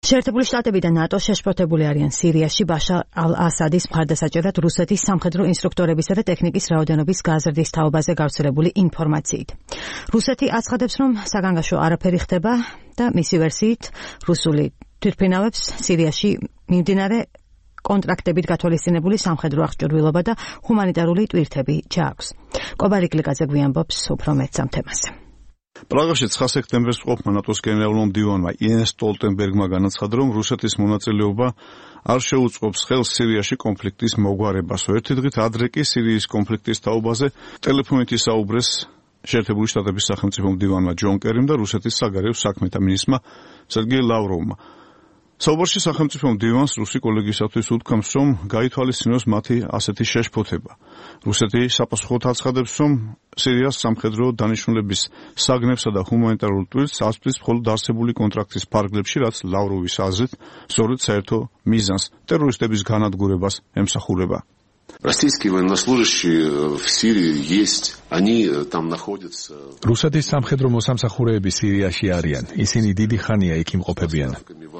შეერთებული შტატები და ნატო შეშფოთებული არიან სირიაში ბაშარ ალ-ასადის მხარდასაჭერად რუსეთის სამხედრო ინსტრუქტორებისა და ტექნიკის რაოდენობის გაზრდის თაობაზე გავრცელებული ინფორმაციით. რუსეთი აცხადებს, რომ საგანგაშო არაფერი ხდება და მისი ვერსიით რუსული თვითმფრინავებს სირიაში მიმდინარე კონტრაქტებით გათვალისწინებული სამხედრო აღჭურვილობა და ჰუმანიტარული ტვირთები ჩააქვს. კობალიკ ლიკაძე გვიანბობს უფრო მეტს ამ თემაზე. პრაღაში 9 სექტემბერს მყოფმა ნატოს გენერალურმა მდივანმა იენს სტოლტენბერგმა განაცხადა, რომ რუსეთის მონაწილეობა არ შეუწყობს ხელს სირიაში კონფლიქტის მოგვარებას. ერთი დღით ადრე კი სირიის კონფლიქტის თაობაზე ტელეფონით ისაუბრეს შეერთებული შტატების სახელმწიფო მდივანმა ჯონ კერიმ და რუსეთის საგარეო საქმეთა მინისტრმა სერგეი ლავროვმა. საუბარში სახელმწიფო მდივანს რუსი კოლეგისათვის უთქვამს, რომ გაითვალისწინოს მათი ასეთი შეშფოთება. რუსეთი საპასუხოდ აცხადებს, რომ სირიას სამხედრო დანიშნულების საგნებსა და ჰუმანიტარულ ტვირთს ასწვდის მხოლოდ არსებული კონტრაქტის ფარგლებში, რაც ლავროვის აზრით სწორედ საერთო მიზანს ტერორისტების განადგურებას ემსახურება. Российские военнослужащие в Сирии есть, они там находятся. რუსეთის სამხედრო მოსამსახურეები სირიაში არიან. ისინი დიდი ხანია იქ იმყოფებიან.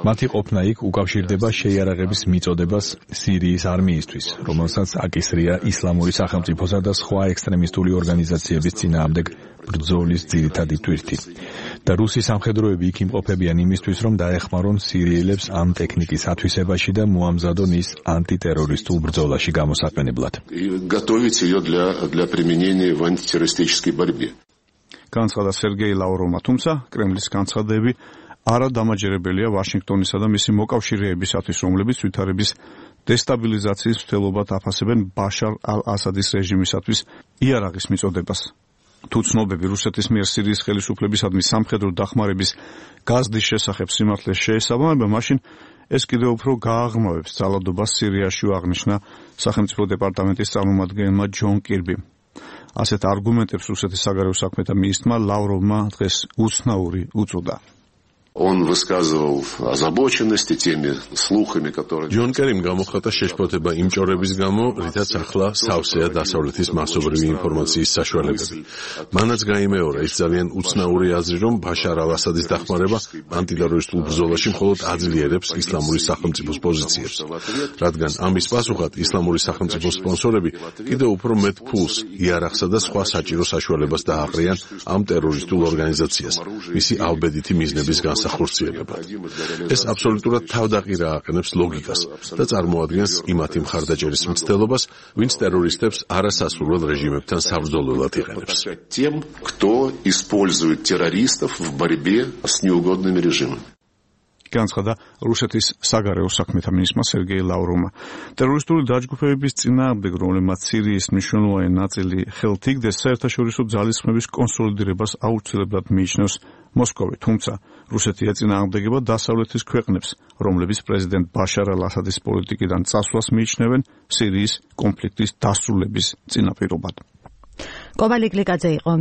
მათი ყოფნა იქ უკავშირდება შეიარაღების მიწოდებას სირიის არმიისთვის, რომელსაც აკისრია ისლამური სახელმწიფოსა და სხვა ექსტრემისტული ორგანიზაციების წინააღმდეგ ბრძოლის ძირითადი თვირთი. და რუსი სამხედროები იქ იმყოფებიან იმისთვის, რომ დაეხმარონ სირიელებს ამ ტექნიკის ათვისებაში და მოამზადონ ის ანტიტერორისტულ ბრძოლაში გამოსაყენებლად. Готовить ее для применения в антитеррористической борьбе. განცხადა სერგეი ლავროვმა, თუმცა კრემლის განცხადები არადამაჯერებელია ვაშინგტონისა და მისი მოკავშირეებისათვის, რომლებიც ვითარების დესტაბილიზაციის მცდელობად აფასებენ ბაშარ ალ-ასადის რეჟიმისათვის იარაღის მიწოდებას. თუ ცნობები რუსეთის მიერ სირიის ხელისუფლებისადმი სამხედრო დახმარების გაზრდის შესახებ სიმართლეს შეესაბამება, მაშინ ეს კიდევ უფრო გააღრმავებს ძალადობას სირიაში, აღნიშნა სახელმწიფო დეპარტამენტის წარმომადგენელმა ჯონ კირბიმ. ასეთ არგუმენტებს რუსეთის საგარეო საქმეთა მინისტრმა ლავროვმა დღეს უცნაური უწოდა. Он высказывал озабоченность теми слухами, которые ჯონ კერიმ გამოხატა შეშფოთება იმ ჭორების გამო, რითაც ახლა სავსეა დასავლეთის მასობრივი ინფორმაციის საშუალებები. მანაც გაიმეორა ის ძალიან უცნაური აზრი, რომ ბაშარ ალ-ასადის დახმარება ანტიტერორისტულ ბრძოლაში მხოლოდ აძლიერებს ისლამური სახელმწიფოს პოზიციებს, რადგან ამის პასუხად ისლამური სახელმწიფოს სპონსორები კიდევ უფრო მეტ ფულს, იარაღსა და სხვა საჭირო საშუალებას დააყრიან ამ ტერორისტულ ორგანიზაციას, მისი ალბედითი მიზნების ეს აბსოლუტურად თავდაყირა აყენებს ლოგიკას და წარმოადგენს იმათი მხარდაჭერის მცდელობას, ვინც ტერორისტებს არასასურველ რეჟიმებთან საბრძოლველად იყენებს. Тем, кто использует террористов в борьбе с неугодными режимами. განცხადა რუსეთის საგარეო საქმეთა მინისტრმა სერგეი ლავროვმა. ტერორისტული დაჯგუფებების წინააღმდეგ, რომლებმაც სირიის მნიშვნელოვანი ნაწილი ხელთ იგდეს, საერთაშორისო ძალისხმების კონსოლიდირებას აუცილებლად მიიჩნევს მოსკოვი, თუმცა რუსეთი ეწინააღმდეგება დასავლეთის ქვეყნებს, რომლებიც პრეზიდენტ ბაშარ ალ-ასადის პოლიტიკიდან წასვლას მიიჩნევენ სირიის კონფლიქტის დასრულების წინაპირობად. კობალიკ ლიკაძე იყო